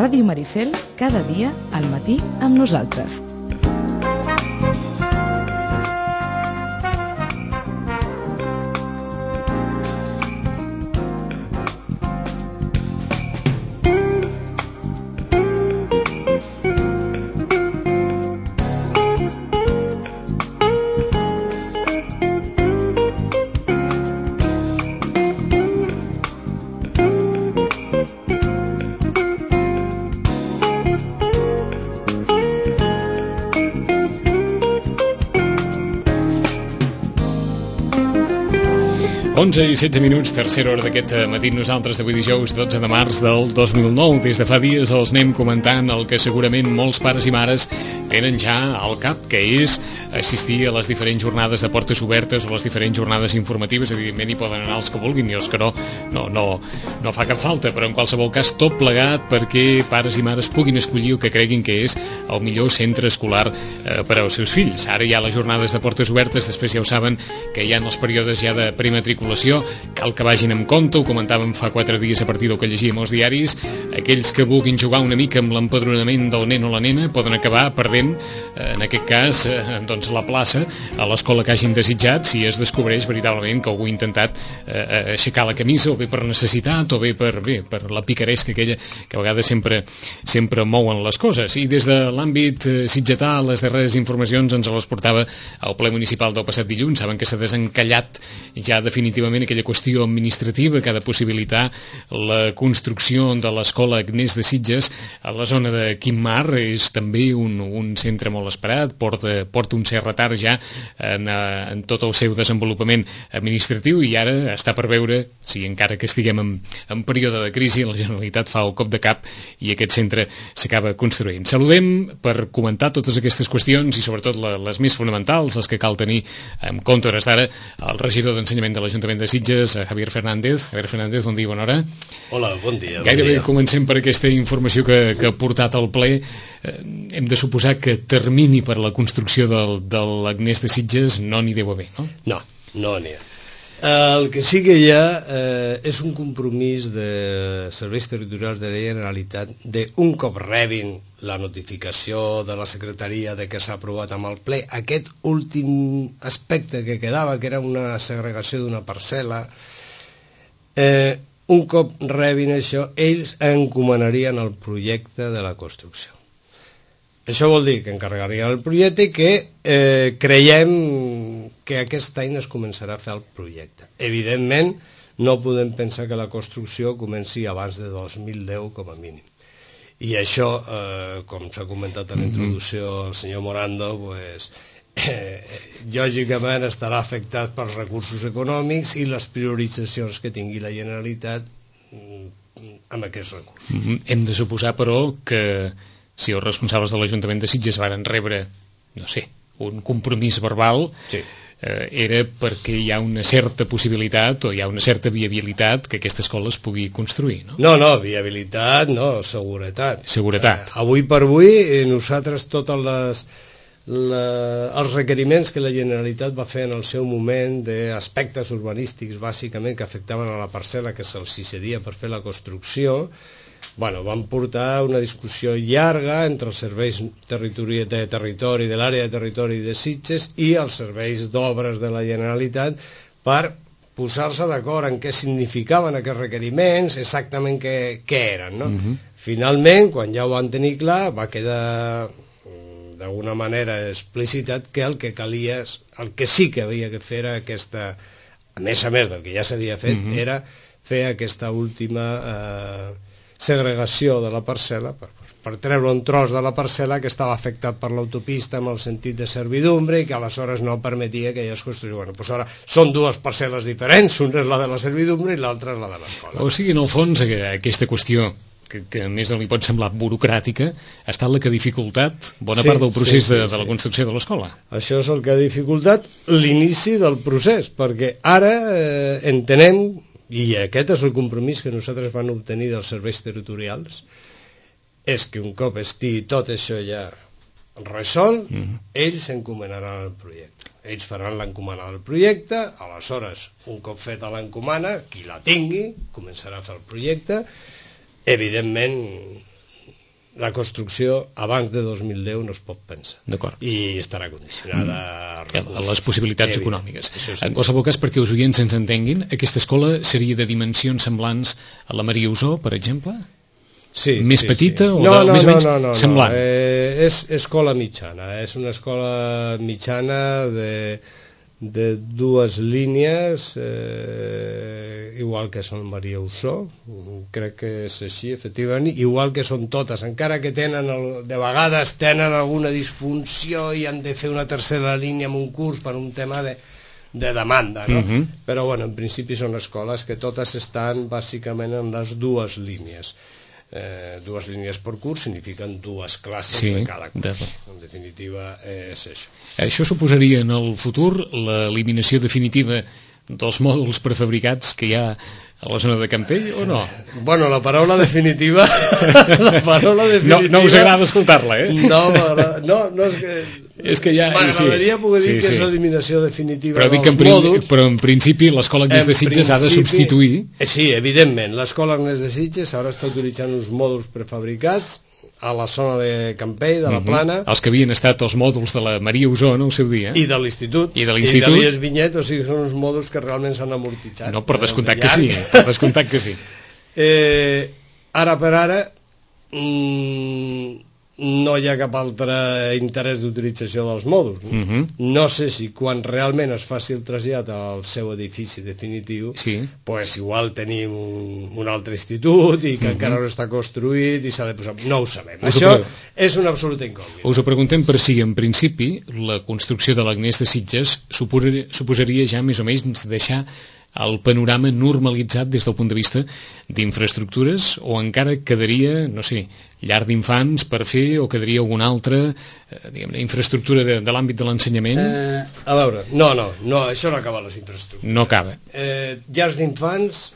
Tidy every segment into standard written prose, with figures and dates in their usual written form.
Ràdio Maricel, cada dia al matí amb nosaltres. I 16 minuts, tercera hora d'aquest matí nosaltres d'avui dijous 12 de març del 2009. Des de fa dies els anem comentant el que segurament molts pares i mares tenen ja al cap, que és assistir a les diferents jornades de portes obertes o les diferents jornades informatives. Evidentment hi poden anar els que vulguin i els que no fa cap falta, però en qualsevol cas tot plegat perquè pares i mares puguin escollir el que creguin que és el millor centre escolar per als seus fills. Ara hi ha les jornades de portes obertes, després ja ho saben que hi ha els períodes ja de prematriculació, cal que vagin amb compte, ho comentàvem fa 4 dies a partir del que llegíem als diaris. Aquells que vulguin jugar una mica amb l'empadronament del nen o la nena poden acabar perdent, en aquest cas, doncs la plaça a l'escola que hagin desitjat si es descobreix veritablement que algú ha intentat aixecar la camisa, o bé per necessitat o bé per la picaresca aquella que a vegades sempre mouen les coses. I des de l'àmbit sitgetà, les darreres informacions ens les portava al ple municipal del passat dilluns. Saben que s'ha desencallat ja definitivament aquella qüestió administrativa que ha de possibilitar la construcció de l'escola Agnès de Sitges a la zona de Quim-Mar. És també un centre molt esperat, porta un cert retard ja en tot el seu desenvolupament administratiu, i ara està per veure si, encara que estiguem en període de crisi, la Generalitat fa el cop de cap i aquest centre s'acaba construint. Saludem per comentar totes aquestes qüestions i sobretot les més fonamentals, les que cal tenir en compte hores d'ara, el regidor d'Ensenyament de l'Ajuntament de Sitges, Javier Fernández. Javier Fernández, bon dia, bona hora. Hola, bon dia. Gairebé comencem per aquesta informació que ha portat al ple. Hem de suposar que termini per la construcció de l'Agnès de Sitges no n'hi deu haver, no? No n'hi ha. El que sí que hi ha és un compromís de serveis territorials de la Generalitat de, un cop rebin la notificació de la Secretaria de que s'ha aprovat amb el ple aquest últim aspecte que quedava, que era una segregació d'una parcel·la, un cop rebin això, ells encomanarien el projecte de la construcció. Això vol dir que encarregarien el projecte i que creiem que aquest any es començarà a fer el projecte. Evidentment, no podem pensar que la construcció comenci abans de 2010 com a mínim. I això, com s'ha comentat a la introducció el senyor Morando, lògicament estarà afectat pels recursos econòmics i les prioritzacions que tingui la Generalitat amb aquests recursos. Hem de suposar, però, que si els responsables de l'Ajuntament de Sitges varen rebre, no sé, un compromís verbal, sí, era perquè hi ha una certa possibilitat o hi ha una certa viabilitat que aquesta escola es pugui construir, no? No, viabilitat no, seguretat. Seguretat. Avui per avui, nosaltres tots els requeriments que la Generalitat va fer en el seu moment d'aspectes urbanístics, bàsicament, que afectaven a la parcel·la que se'ls cedia per fer la construcció, van portar una discussió llarga entre els serveis de territori, de l'àrea de territori de Sitges i els serveis d'obres de la Generalitat per posar-se d'acord en què significaven aquests requeriments, exactament què eren, no? Finalment, quan ja ho van tenir clar, va quedar d'alguna manera explicitat que el que calia, el que sí que havia de fer era aquesta, a més del que ja s'havia fet, era fer aquesta última segregació de la parcel·la per treure un tros de la parcel·la que estava afectat per l'autopista amb el sentit de servidumbre i que aleshores no permetia que ella es construïs. Ara són dues parcel·les diferents, una és la de la servidumbre i l'altra és la de l'escola. O sigui, en el fons, aquesta qüestió que a més no li pot semblar burocràtica, ha estat la que ha dificultat bona part del procés de la construcció de l'escola. Això és el que ha dificultat l'inici del procés, perquè ara entenem, i aquest és el compromís que nosaltres vam obtenir dels serveis territorials, és que un cop estigui tot això ja resolt, ells encomanaran el projecte. Ells faran l'encomana del projecte, aleshores, un cop feta l'encomana, qui la tingui, començarà a fer el projecte. Evidentment, la construcció abans de 2010 no es pot pensar. D'acord. I estarà condicionada a les possibilitats econòmiques. En qualsevol cas, perquè els oients ens entenguin, aquesta escola seria de dimensions semblants a la Maria Usó, per exemple? Sí, més petita o més o menys semblant? És escola mitjana, és una escola mitjana de dues línies, igual que són Maria Usó, crec que és així, efectivament, igual que són totes, encara que de vegades tenen alguna disfunció i han de fer una tercera línia en un curs per un tema de demanda, no? Però, bueno, en principi són escoles que totes estan bàsicament en les dues línies. Dues línies per curs signifiquen dues classes de cada curs. En definitiva és això. Això suposaria en el futur l'eliminació definitiva dels mòduls prefabricats que hi ha a la zona de Campell o no? Bueno, la paraula definitiva no us agrada escoltar-la, eh? No, és que ja m'agradaria poder dir que és l'eliminació definitiva dels mòduls, però en principi l'Escola Agnès de Sitges ha de substituir. Sí, evidentment, l'Escola Agnès de Sitges ara està utilitzant uns mòduls prefabricats a la zona de Campell, de la Plana. Els que havien estat els mòduls de la Maria Usó en el seu dia. I de l'Institut. I de l'Ies Vinyet, o sigui, són uns mòduls que realment s'han amortitzat. No, per descomptat que sí. Ara per ara no hi ha cap altre interès d'utilització dels mòduls. No sé si quan realment es faci el trasllat al seu edifici definitiu, pues igual tenim un altre institut i que encara no està construït i s'ha de posar... No ho sabem. Això és una absoluta incògnita. Us ho preguntem per si, en principi, la construcció de l'Agnès de Sitges suposaria ja més o menys deixar el panorama normalitzat des del punt de vista d'infraestructures, o encara quedaria, no sé, llar d'infants per fer, o quedaria alguna altra infraestructura de l'àmbit de l'ensenyament? A veure, no, això no acaba les infraestructures. No acaba. Llars d'infants,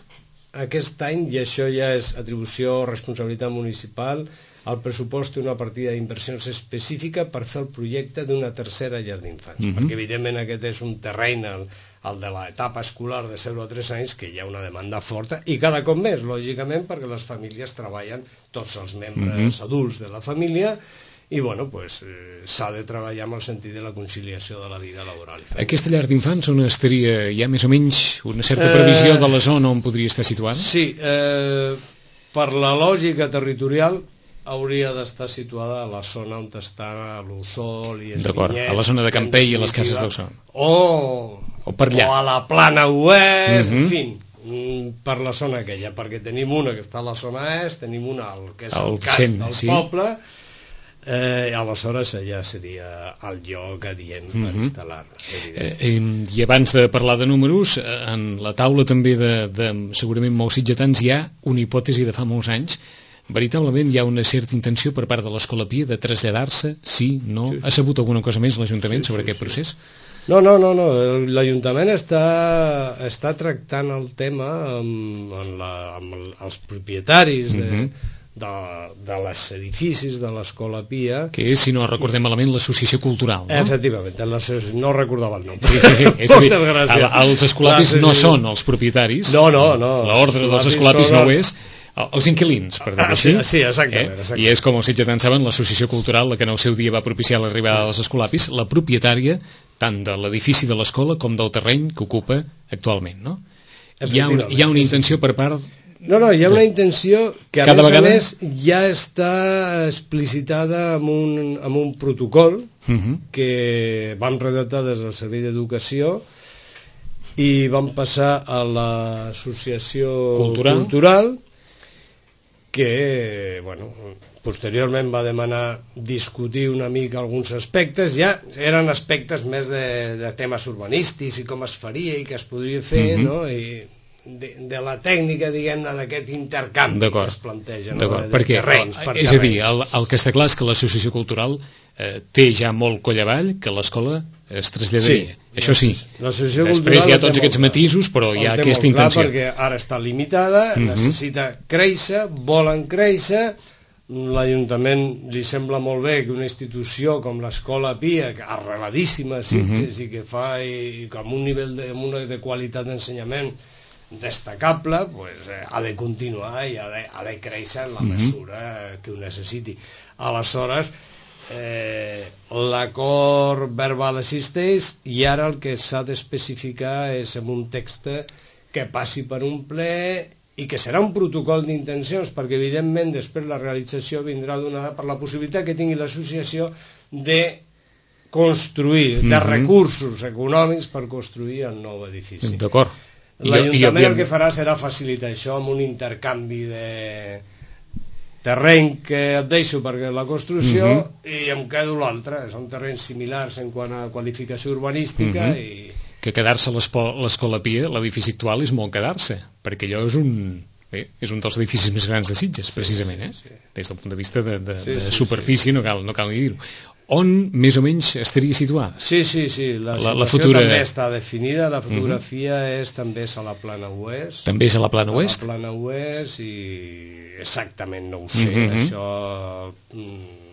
aquest any, i això ja és atribució o responsabilitat municipal, el pressupost té una partida d'inversions específica per fer el projecte d'una tercera llar d'infants, perquè evidentment aquest és un terreny, el de l'etapa escolar de 0 a 3 anys, que hi ha una demanda forta, i cada cop més, lògicament, perquè les famílies treballen, tots els membres adults de la família, i bueno, pues, s'ha de treballar amb el sentit de la conciliació de la vida laboral. Aquesta llar d'infants on estaria, hi ha més o menys una certa previsió de la zona on podria estar situada? Sí, per la lògica territorial hauria d'estar situada a la zona on està l'Ussol i el Vinyet. A la zona de Campell i a les cases d'Ussol. O per allà. O a la Plana Oest, en fi, per la zona aquella, perquè tenim una que està a la zona est, tenim una que és el cas del poble, aleshores allà seria el lloc adient per instal·lar. I abans de parlar de números, en la taula també de segurament molts sitgetans hi ha una hipòtesi de fa molts anys. Veritablement hi ha una certa intenció per part de l'Escola Pia de traslladar-se, sí, no? Ha sabut alguna cosa més l'Ajuntament sobre aquest procés? No, l'Ajuntament està tractant el tema amb els propietaris dels edificis de l'Escola Pia, que és, si no recordem malament, l'Associació Cultural, no? Efectivament, no recordava el nom. Sí, és a dir, els escolapis no són els propietaris, l'ordre dels escolapis no ho és, els inquilins, per dir-ho així. Sí, exactament. I és com els sitgetans saben, l'Associació Cultural, la que en el seu dia va propiciar l'arribada dels escolapis, la propietària tant de l'edifici de l'escola com del terreny que ocupa actualment, no? Hi ha una intenció per part... No, hi ha una intenció que a més ja està explicitada amb un protocol que vam redactar des del Servei d'Educació i vam passar a l'Associació Cultural, que, bueno, posteriorment va demanar discutir una mica alguns aspectes, ja eren aspectes més de temes urbanístics i com es faria i què es podria fer, no? I de la tècnica, diguem-ne, d'aquest intercanvi que es planteja, de terrenys per terrenys. És a dir, el que està clar és que l'Associació Cultural té ja molt coll avall, que l'escola es traslladaria. Això sí. Després hi ha tots aquests matisos, però hi ha aquesta intenció. Perquè ara està limitada, necessita créixer, volen créixer. L'Ajuntament li sembla molt bé que una institució com l'Escola Pia, arreladíssima a Sitges i que fa amb un nivell de qualitat d'ensenyament destacable, pues, ha de continuar i ha de créixer en la mesura que ho necessiti. Aleshores, l'acord verbal existeix i ara el que s'ha d'especificar és en un text que passi per un ple i que serà un protocol d'intencions, perquè evidentment després la realització vindrà donada per la possibilitat que tingui l'associació de construir, de recursos econòmics per construir el nou edifici. D'acord. L'Ajuntament el que farà serà facilitar això amb un intercanvi de terreny que et deixo perquè la construcció i em quedo l'altre. Són terrenys similars en quant a qualificació urbanística i... Que quedar-se a l'Escola Pia, l'edifici actual, és molt quedar-se, perquè allò és un dels edificis més grans de Sitges, precisament, des del punt de vista de superfície, no cal ni dir-ho. On més o menys estaria situada? Sí, la situació també està definida, la fotografia també és a la Plana Oest. També és a la Plana Oest? A la Plana Oest i exactament no ho sé, això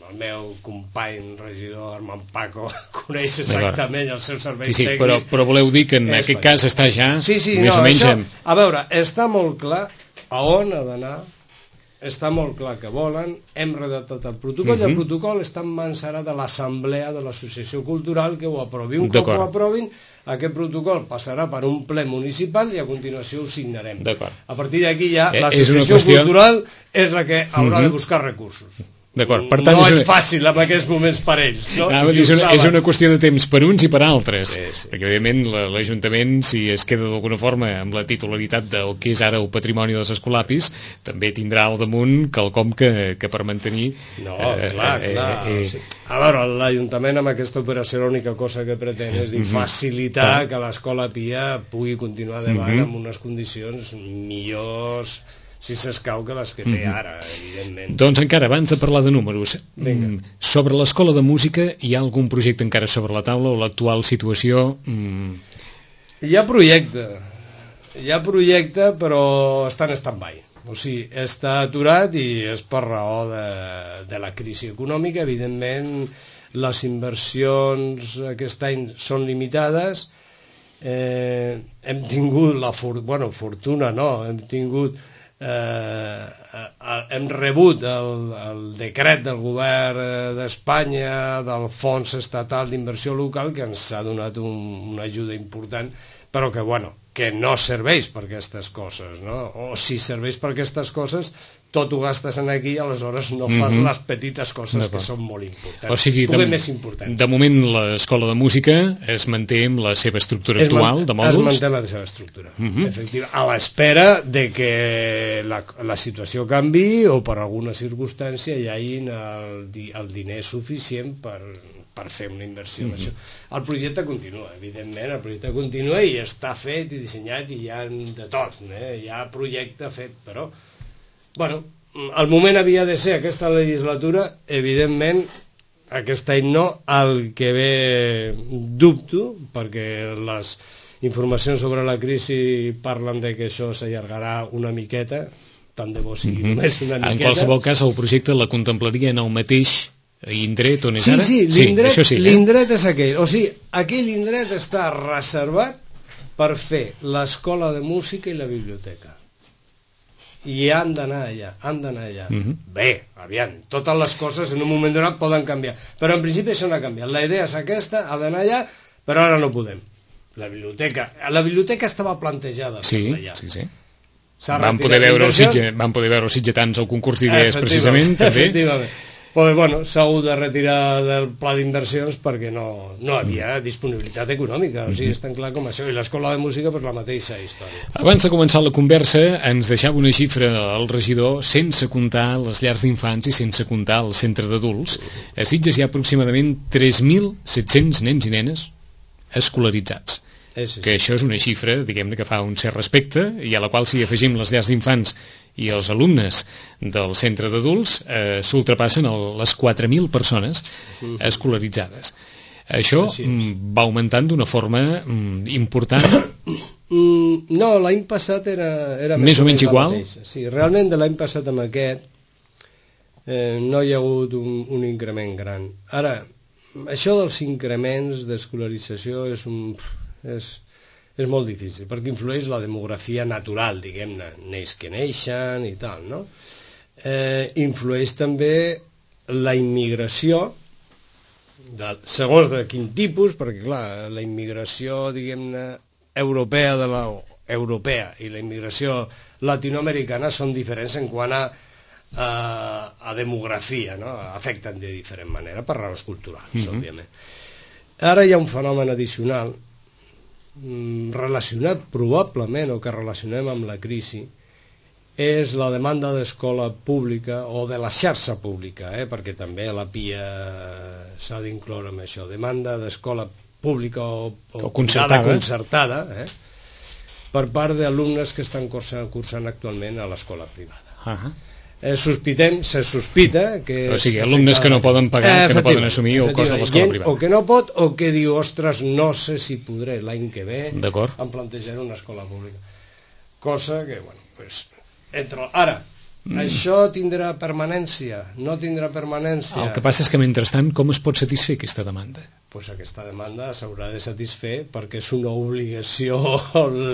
el meu company regidor Armand Paco coneix exactament els seus serveis tècnics. Però voleu dir que en aquest cas està ja més o menys... A veure, està molt clar a on ha d'anar, està molt clar que volen, hem redactat el protocol i el protocol està en mans ara de l'assemblea de l'associació cultural que ho aprovi. Un cop ho aprovin, aquest protocol passarà per un ple municipal i a continuació ho signarem. A partir d'aquí ja l'associació cultural és la que haurà de buscar recursos. Per tant, no és fàcil en aquests moments per ells, no? És una qüestió de temps per uns i per altres, perquè evidentment l'Ajuntament, si es queda d'alguna forma amb la titularitat del que és ara el patrimoni dels escolapis, també tindrà al damunt quelcom que per mantenir... No, clar. A veure, l'Ajuntament amb aquesta operació l'única cosa que pretén és facilitar que l'Escola Pia pugui continuar endavant amb unes condicions millors, si s'escau, que les que té ara, evidentment. Doncs encara, abans de parlar de números, sobre l'Escola de Música hi ha algun projecte encara sobre la taula o l'actual situació? Hi ha projecte, però està en stand-by. O sigui, està aturat i és per raó de la crisi econòmica. Evidentment, les inversions aquest any són limitades. Hem tingut fortuna, no, hem rebut el decret del govern d'Espanya del Fons Estatal d'Inversió Local que ens ha donat una ajuda important, però que no serveix per aquestes coses, no? O si serveix per aquestes coses tot ho gastes aquí, aleshores no fas les petites coses que són molt importants. O sigui, de moment l'Escola de Música es manté amb la seva estructura actual de mòduls? Es manté la seva estructura, efectivament, a l'espera de que la situació canvi o per alguna circumstància hi hagi el diner suficient per fer una inversió. El projecte continua, evidentment, el projecte continua i està fet i dissenyat i hi ha de tot, hi ha projecte fet, però el moment havia de ser aquesta legislatura, evidentment aquest any no, el que ve dubto, perquè les informacions sobre la crisi parlen de que això s'allargarà una miqueta, tant de bo sigui només una miqueta. En qualsevol cas, el projecte la contemplaria en el mateix indret on és ara? Sí, l'indret és aquell. O sigui, aquell indret està reservat per fer l'escola de música i la biblioteca. I han d'anar allà. Bé, aviam, totes les coses en un moment donat poden canviar, però en principi això no ha canviat. La idea és aquesta, ha d'anar allà, però ara no podem. La biblioteca estava plantejada allà. Sí. Vam poder veure els sitgetans al concurs d'idees precisament, també. Efectivament. S'ha hagut de retirar del pla d'inversions perquè no havia disponibilitat econòmica, o sigui, és tan clar com això, i l'Escola de Música la mateixa història. Abans de començar la conversa ens deixava una xifra al regidor, sense comptar les llars d'infants i sense comptar el centre d'adults. A Sitges hi ha aproximadament 3.700 nens i nenes escolaritzats, que això és una xifra, diguem-ne, que fa un cert respecte, i a la qual si afegim les llars d'infants i els alumnes del centre d'adults s'ultrapassen les 4.000 persones escolaritzades. Això va augmentant d'una forma important? No, l'any passat era més o menys igual? Sí, realment de l'any passat amb aquest no hi ha hagut un increment gran. Ara, això dels increments d'escolarització és molt difícil, perquè influeix la demografia natural, diguem-ne, neix que neixen i tal, no? Influeix també la immigració, segons de quin tipus, perquè clar, la immigració, diguem-ne, europea i la immigració latinoamericana són diferents en quant a demografia, no? Afecten de diferent manera per raons culturals, òbviament. Ara hi ha un fenomen addicional relacionat probablement o que relacionem amb la crisi, és la demanda d'escola pública o de la xarxa pública, perquè també la PIA s'ha d'incloure amb això, demanda d'escola pública o concertada per part d'alumnes que estan cursant actualment a l'escola privada. Se sospita que... O sigui, alumnes que no poden pagar, que no poden assumir el cost de l'escola privada. O que no pot, o que diu, ostres, no sé si podré l'any que ve em plantejaré una escola pública. Cosa que, bueno, pues... Ara, això tindrà permanència? No tindrà permanència? El que passa és que, mentrestant, com es pot satisfer aquesta demanda? Doncs aquesta demanda s'haurà de satisfer perquè és una obligació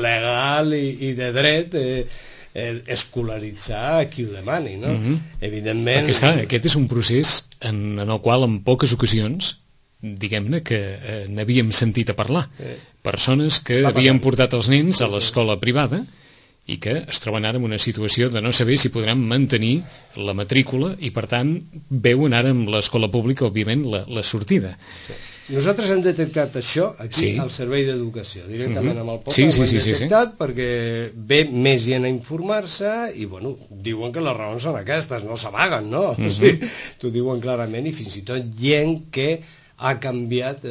legal i de dret escolaritzar a qui ho demani, no? Evidentment... Perquè, esclar, aquest és un procés en el qual, en poques ocasions, diguem-ne que n'havíem sentit a parlar. Persones que havien portat els nens a l'escola privada i que es troben ara en una situació de no saber si podran mantenir la matrícula i, per tant, veuen ara amb l'escola pública, òbviament, la sortida. Nosaltres hem detectat això aquí al Servei d'Educació, directament amb el poble, ho hem detectat perquè ve més gent a informar-se i, bueno, diuen que les raons són aquestes, no s'amaguen, no? T'ho diuen clarament, i fins i tot gent que ha canviat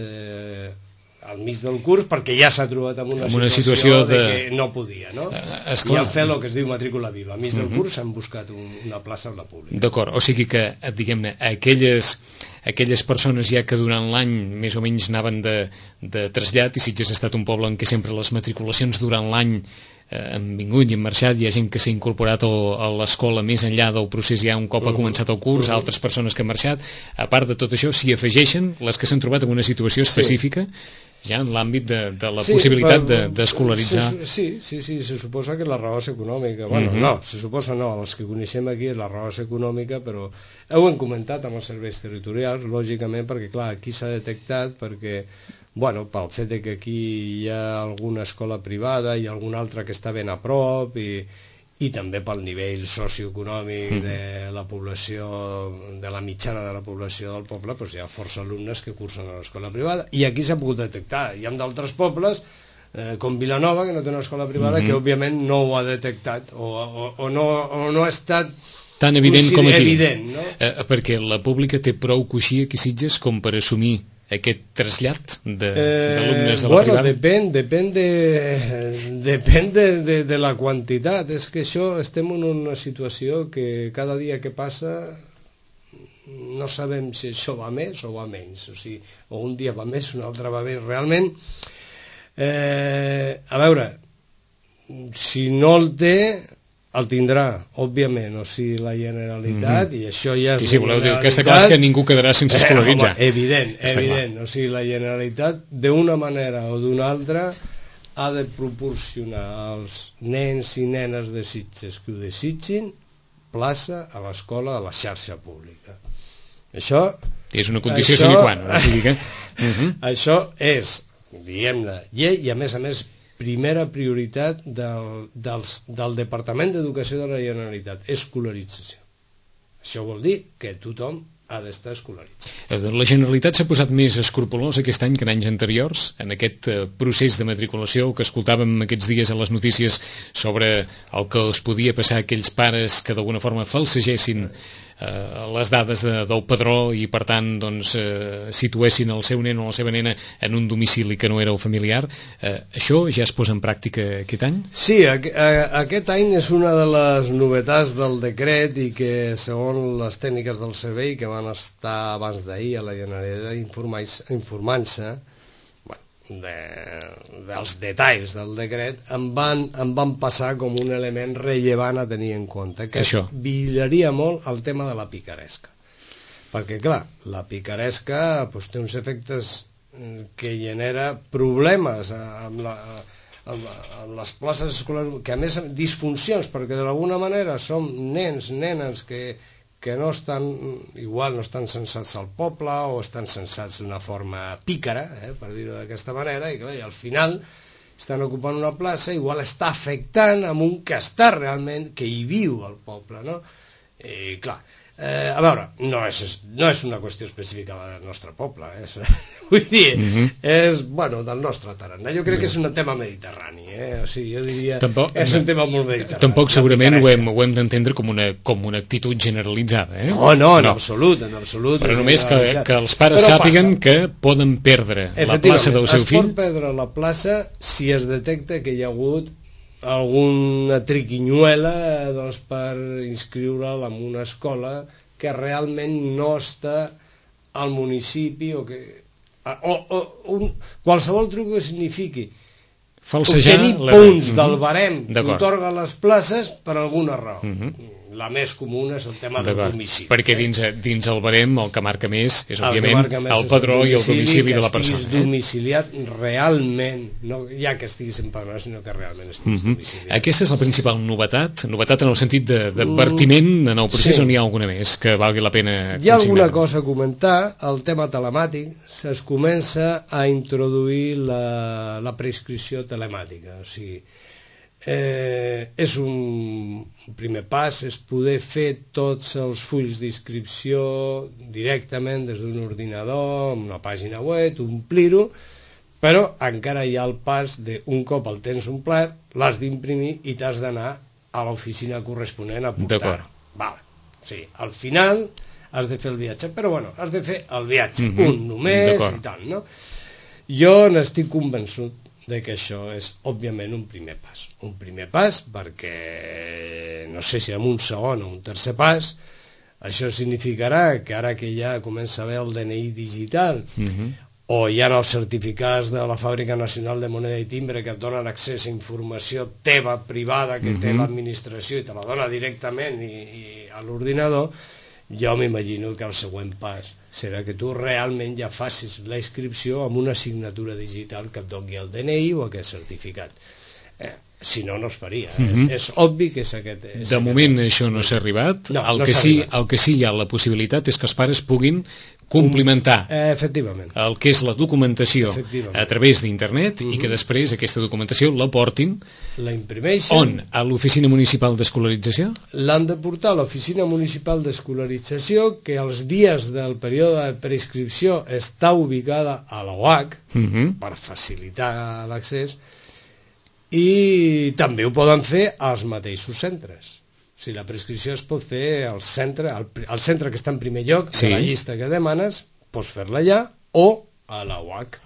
al mig del curs perquè ja s'ha trobat en una situació de que no podia, no? I han fet el que es diu matrícula viva. Al mig del curs s'han buscat una plaça en la pública. D'acord, o sigui que, diguem-ne, aquelles persones ja que durant l'any més o menys anaven de trasllat, i Sitges ha estat un poble en què sempre les matriculacions durant l'any han vingut i han marxat, hi ha gent que s'ha incorporat a l'escola més enllà del procés ja un cop ha començat el curs, altres persones que han marxat, a part de tot això s'hi afegeixen les que s'han trobat en una situació específica ja en l'àmbit de la possibilitat d'escolaritzar. Sí, se suposa que la raó és econòmica. Bueno, no, se suposa no, els que coneixem aquí la raó és econòmica, però ho hem comentat amb els serveis territorials, lògicament, perquè clar, aquí s'ha detectat perquè, bueno, pel fet de que aquí hi ha alguna escola privada i alguna altra que està ben a prop i també pel nivell socioeconòmic de la població, de la mitjana de la població del poble, doncs hi ha força alumnes que cursen a l'escola privada, i aquí s'ha pogut detectar. Hi ha d'altres pobles, com Vilanova, que no té una escola privada, que òbviament no ho ha detectat, o no ha estat tan evident com aquí. No? Perquè la pública té prou coixí aquí Sitges com per assumir aquest trasllat d'alumnes a la privada? Depèn de la quantitat. És que això, estem en una situació que cada dia que passa no sabem si això va més o va menys. O sigui, o un dia va més, un altre va més. Realment, a veure, si no el té, el tindrà, òbviament, o sigui, la Generalitat, i això ja és... Sí, voleu dir que està clar que ningú quedarà sense escolaritzar. Evident, o sigui, la Generalitat, d'una manera o d'una altra, ha de proporcionar als nens i nenes de Sitges que ho desitgin plaça a l'escola de la xarxa pública. Això... És una condició sine qua non, o sigui que... Això és, diguem-ne, llei, i a més, primera prioritat del Departament d'Educació de la Generalitat, escolarització. Això vol dir que tothom ha d'estar escolaritzat. La Generalitat s'ha posat més escrupolós aquest any que en anys anteriors, en aquest procés de matriculació que escoltàvem aquests dies a les notícies sobre el que es podia passar a aquells pares que d'alguna forma falsegessin les dades del padró i per tant doncs, situessin el seu nen o la seva nena en un domicili que no era el familiar. Això ja es posa en pràctica aquest any? Sí, aquest any és una de les novetats del decret i que segons les tècniques del servei que van estar abans d'ahir a la Generalitat informant-se dels detalls del decret, em van passar com un element rellevant a tenir en compte, que vigilaria molt el tema de la picaresca, perquè clar, la picaresca té uns efectes que genera problemes amb les places escolars, que a més disfuncions, perquè d'alguna manera som nens, nenes que no estan, igual no estan censats al poble o estan censats d'una forma pícara, per dir-ho d'aquesta manera, i clar, i al final estan ocupant una plaça, igual està afectant amb un que està realment, que hi viu al poble, no? I clar, a veure, no és una qüestió específica del nostre poble, vull dir, és, bueno, del nostre tarannà. Jo crec que és un tema mediterrani, o sigui, jo diria, és un tema molt mediterrani. Tampoc segurament ho hem d'entendre com una actitud generalitzada, No, en absolut. Però només que els pares sàpiguen que poden perdre la plaça del seu fill. Es pot perdre la plaça si es detecta que hi ha hagut alguna triquinyuela per inscriure'l en una escola que realment no està al municipi o qualsevol truc que signifiqui obtenir punts del barem que otorga les places per alguna raó. La més comuna és el tema del domicili. Perquè dins el barem el que marca més és, òbviament, el padró i el domicili de la persona. Que estiguis domiciliat realment, no ja que estiguis empadronat, sinó que realment estiguis domiciliat. Aquesta és la principal novetat en el sentit d'advertiment en el procés, o n'hi ha alguna més que valgui la pena consignar? Hi ha alguna cosa a comentar, el tema telemàtic, es comença a introduir la prescripció telemàtica, o sigui, és un primer pas, és poder fer tots els fulls d'inscripció directament des d'un ordinador, amb una pàgina web, omplir-ho, però encara hi ha el pas d'un cop el tens omplert, l'has d'imprimir i t'has d'anar a l'oficina corresponent a portar-ho. O sigui, al final has de fer el viatge, però bueno, has de fer el viatge, un només i tal, no? Jo n'estic convençut de que això és, òbviament, un primer pas perquè, no sé si en un segon o un tercer pas, això significarà que ara que ja comença a haver el DNI digital o hi ha els certificats de la Fàbrica Nacional de Moneda i Timbre que et donen accés a informació teva, privada, que té l'administració i te la dona directament a l'ordinador, jo m'imagino que el següent pas serà que tu realment ja facis la inscripció amb una signatura digital que et doni el DNI o aquest certificat. Si no, no es faria. És obvi que és aquest... De moment això no s'ha arribat. El que sí hi ha la possibilitat és que els pares puguin complementar el que és la documentació a través d'internet i que després aquesta documentació la portin on? A l'Oficina Municipal d'Escolarització? L'han de portar a l'Oficina Municipal d'Escolarització, que els dies del període de prescripció està ubicada a la UAC per facilitar l'accés, i també ho poden fer als mateixos centres. O sigui, la prescripció es pot fer al centre que està en primer lloc de la llista que demanes, pots fer-la allà, o a la UAC,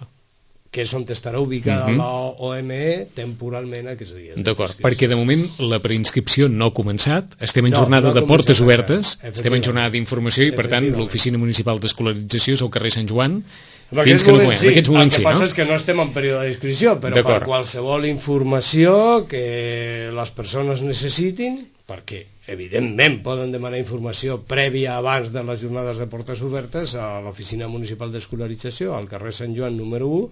que és on estarà ubicada la OME temporalment aquests dies. D'acord, perquè de moment la preinscripció no ha començat, estem en jornada de portes obertes, estem en jornada d'informació i per tant l'Oficina Municipal d'Escolarització és al carrer Sant Joan, fins que no puguem. En aquests moments sí, no? El que passa és que no estem en període d'inscripció, però per qualsevol informació que les persones necessitin, perquè evidentment poden demanar informació prèvia abans de les jornades de portes obertes a l'Oficina Municipal d'Escolarització, al carrer Sant Joan número 1,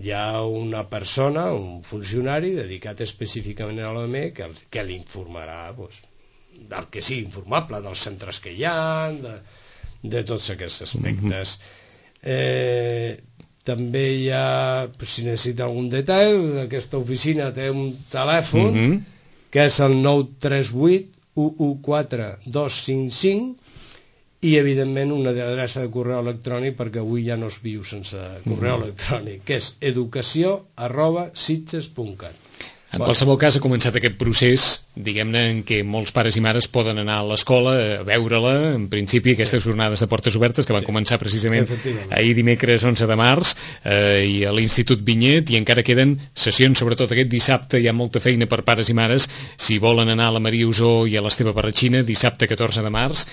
hi ha una persona, un funcionari dedicat específicament a l'OME que l'informarà del que sigui informable, dels centres que hi ha, de tots aquests aspectes. També hi ha, si necessita algun detall, aquesta oficina té un telèfon que és el 938 114 255 i evidentment una adreça de correu electrònic, perquè avui ja no es viu sense correu electrònic, que és educació@sitges.cat. En qualsevol cas ha començat aquest procés, diguem-ne, en què molts pares i mares poden anar a l'escola a veure-la, en principi aquestes jornades de portes obertes que van començar precisament ahir dimecres 11 de març i a l'Institut Vinyet, i encara queden sessions, sobretot aquest dissabte hi ha molta feina per pares i mares, si volen anar a la Maria Usó i a l'Esteve Parratxina, dissabte 14 de març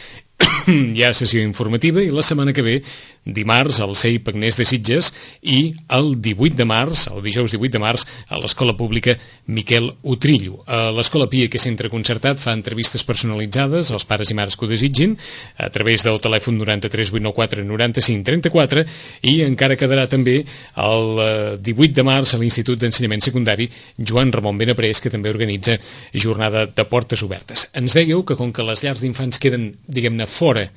hi ha sessió informativa, i la setmana que ve, dimarts, al CEIP Agnès de Sitges, i el 18 de març, el dijous 18 de març, a l'Escola Pública Miquel Utrillo. A l'Escola Pia aquest centre concertat fa entrevistes personalitzades als pares i mares que ho desitgin a través del telèfon 93 894 95 34 i encara quedarà també el 18 de març a l'Institut d'Ensenyament Secundari Joan Ramon Benaprés, que també organitza jornada de portes obertes. Ens dèieu que com que les llars d'infants queden, diguem-ne, fora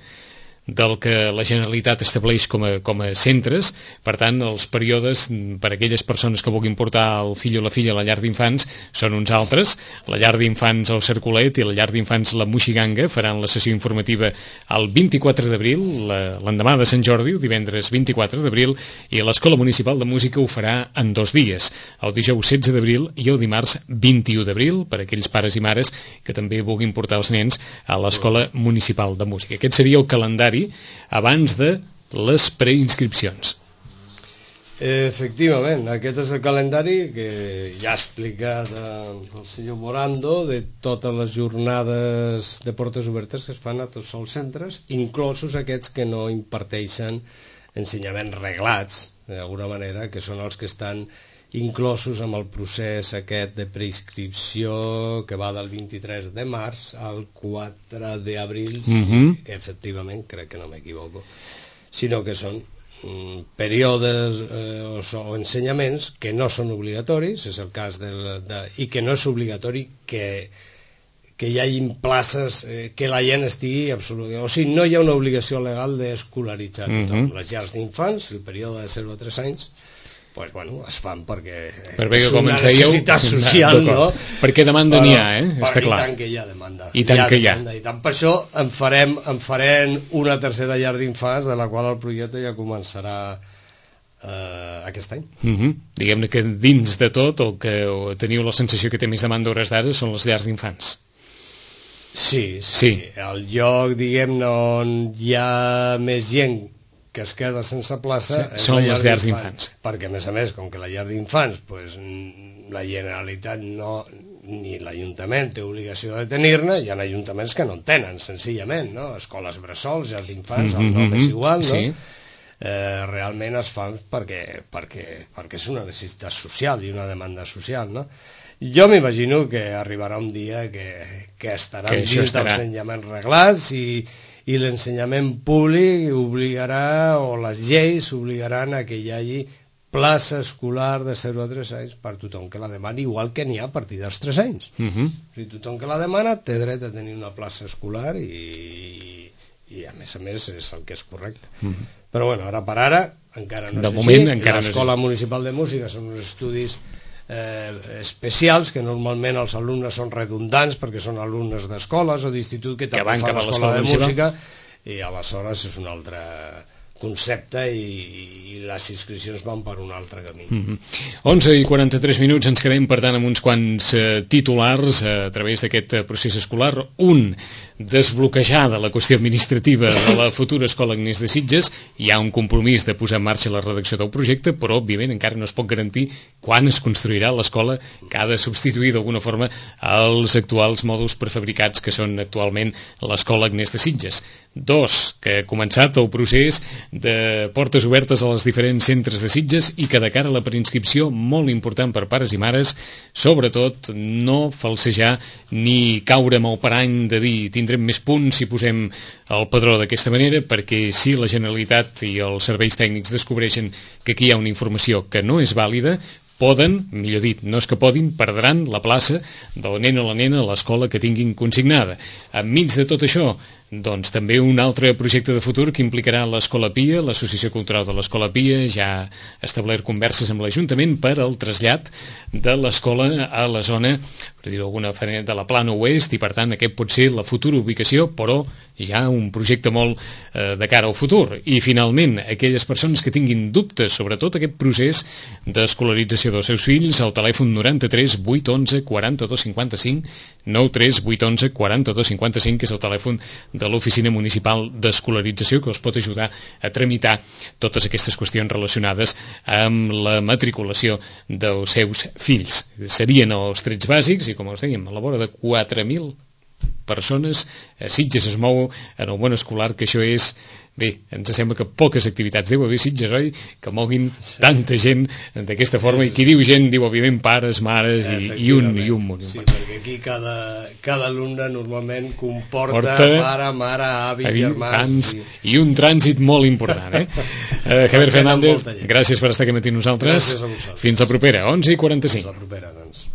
del que la Generalitat estableix com a centres, per tant els períodes per a aquelles persones que vulguin portar el fill o la filla a la llar d'infants són uns altres. La llar d'infants El Cercolet i la llar d'infants La Moixiganga faran la sessió informativa el 24 d'abril, l'endemà de Sant Jordi, el divendres 24 d'abril, i l'Escola Municipal de Música ho farà en 2 dies, el dijous 16 d'abril i el dimarts 21 d'abril, per a aquells pares i mares que també vulguin portar els nens a l'Escola Municipal de Música. Aquest seria el calendari abans de les preinscripcions. Efectivament, aquest és el calendari que ja ha explicat el senyor Morando de totes les jornades de portes obertes que es fan a tots els centres, inclosos aquests que no imparteixen ensenyaments reglats, d'alguna manera, que són els que estan inclosos amb el procés aquest de preinscripció que va del 23 de març al 4 d'abril, que efectivament, crec que no m'equivoco, sinó que són períodes o ensenyaments que no són obligatoris, és el cas i que no és obligatori que hi hagi places que la gent estigui absolutament... O sigui, no hi ha una obligació legal d'escolaritzar tothom. Les llars d'infants, el període de 0 a 3 anys, pues, bueno, es fan perquè és una necessitat social, no? Perquè demanda n'hi ha, està clar. I tant que hi ha demanda. I tant que hi ha. I tant per això en farem una tercera llar d'infants, de la qual el projecte ja començarà aquest any. Diguem-ne que dins de tot el que teniu la sensació que té més demanda a hores d'ara són les llars d'infants. Sí. El lloc, diguem-ne, on hi ha més gent que es queda sense plaça són les llars d'infants, perquè a més, com que la llar d'infants pues, la Generalitat ni l'Ajuntament té obligació de tenir-ne, hi ha ajuntaments que no en tenen, senzillament, no? Escoles bressols, llars d'infants, el nom és igual, no? Realment es fan perquè és una necessitat social i una demanda social, no? Jo m'imagino que arribarà un dia que estaran dins dels ensenyaments reglats i l'ensenyament públic obligarà, o les lleis obligaran a que hi hagi plaça escolar de 0 a 3 anys per tothom que la demani, igual que n'hi ha a partir dels 3 anys. O sigui, tothom que la demana té dret a tenir una plaça escolar i a més és el que és correcte. Però bueno, ara per ara encara no és així. L'Escola Municipal de Música són uns estudis especials que normalment els alumnes són redundants perquè són alumnes d'escoles o d'institut que també fan l'escola de música i aleshores és un altre concepte i les inscripcions van per un altre camí. 11:43 ens quedem per tant amb uns quants titulars a través d'aquest procés escolar. Un, desbloquejar de la qüestió administrativa de la futura Escola Agnès de Sitges. Hi ha un compromís de posar en marxa la redacció del projecte, però òbviament encara no es pot garantir quan es construirà l'escola que ha de substituir d'alguna forma els actuals mòduls prefabricats que són actualment l'Escola Agnès de Sitges. 2, que ha començat el procés de portes obertes als diferents centres de Sitges i que de cara a la preinscripció, molt important per pares i mares, sobretot no falsejar ni caure amb el parany de dir tindrem més punts si posem el padró d'aquesta manera, perquè si la Generalitat i els serveis tècnics descobreixen que aquí hi ha una informació que no és vàlida, poden, millor dit, no és que podin, perdran la plaça del nen o la nena a l'escola que tinguin consignada. Enmig de tot això, doncs també un altre projecte de futur que implicarà l'Escola Pia, l'Associació Cultural de l'Escola Pia ja ha establert converses amb l'Ajuntament per al trasllat de l'escola a la zona, per dir-ho d'alguna manera, de la Plana Oest, i per tant aquest pot ser la futura ubicació, però ja un projecte molt de cara al futur. I finalment, aquelles persones que tinguin dubtes sobre tot aquest procés d'escolarització dels seus fills, al telèfon 93 811 42 55, 93 811 42 55, que és el telèfon de l'Oficina Municipal d'Escolarització, que us pot ajudar a tramitar totes aquestes qüestions relacionades amb la matriculació dels seus fills. Serien els trets bàsics i, com us dèiem, a la vora de 4.000 persones, a Sitges es mou en el món escolar, que això és... Bé, ens sembla que poques activitats deu haver Sitges, oi? Que moguin tanta gent d'aquesta forma, i qui diu gent diu, òbviament, pares, mares i un munt. Sí, perquè aquí cada alumne normalment comporta pare, mare, avis, germans... I un trànsit molt important, Javier Fernández, gràcies per estar aquí amb nosaltres. Gràcies a vosaltres. Fins la propera, 11:45. Fins la propera, doncs.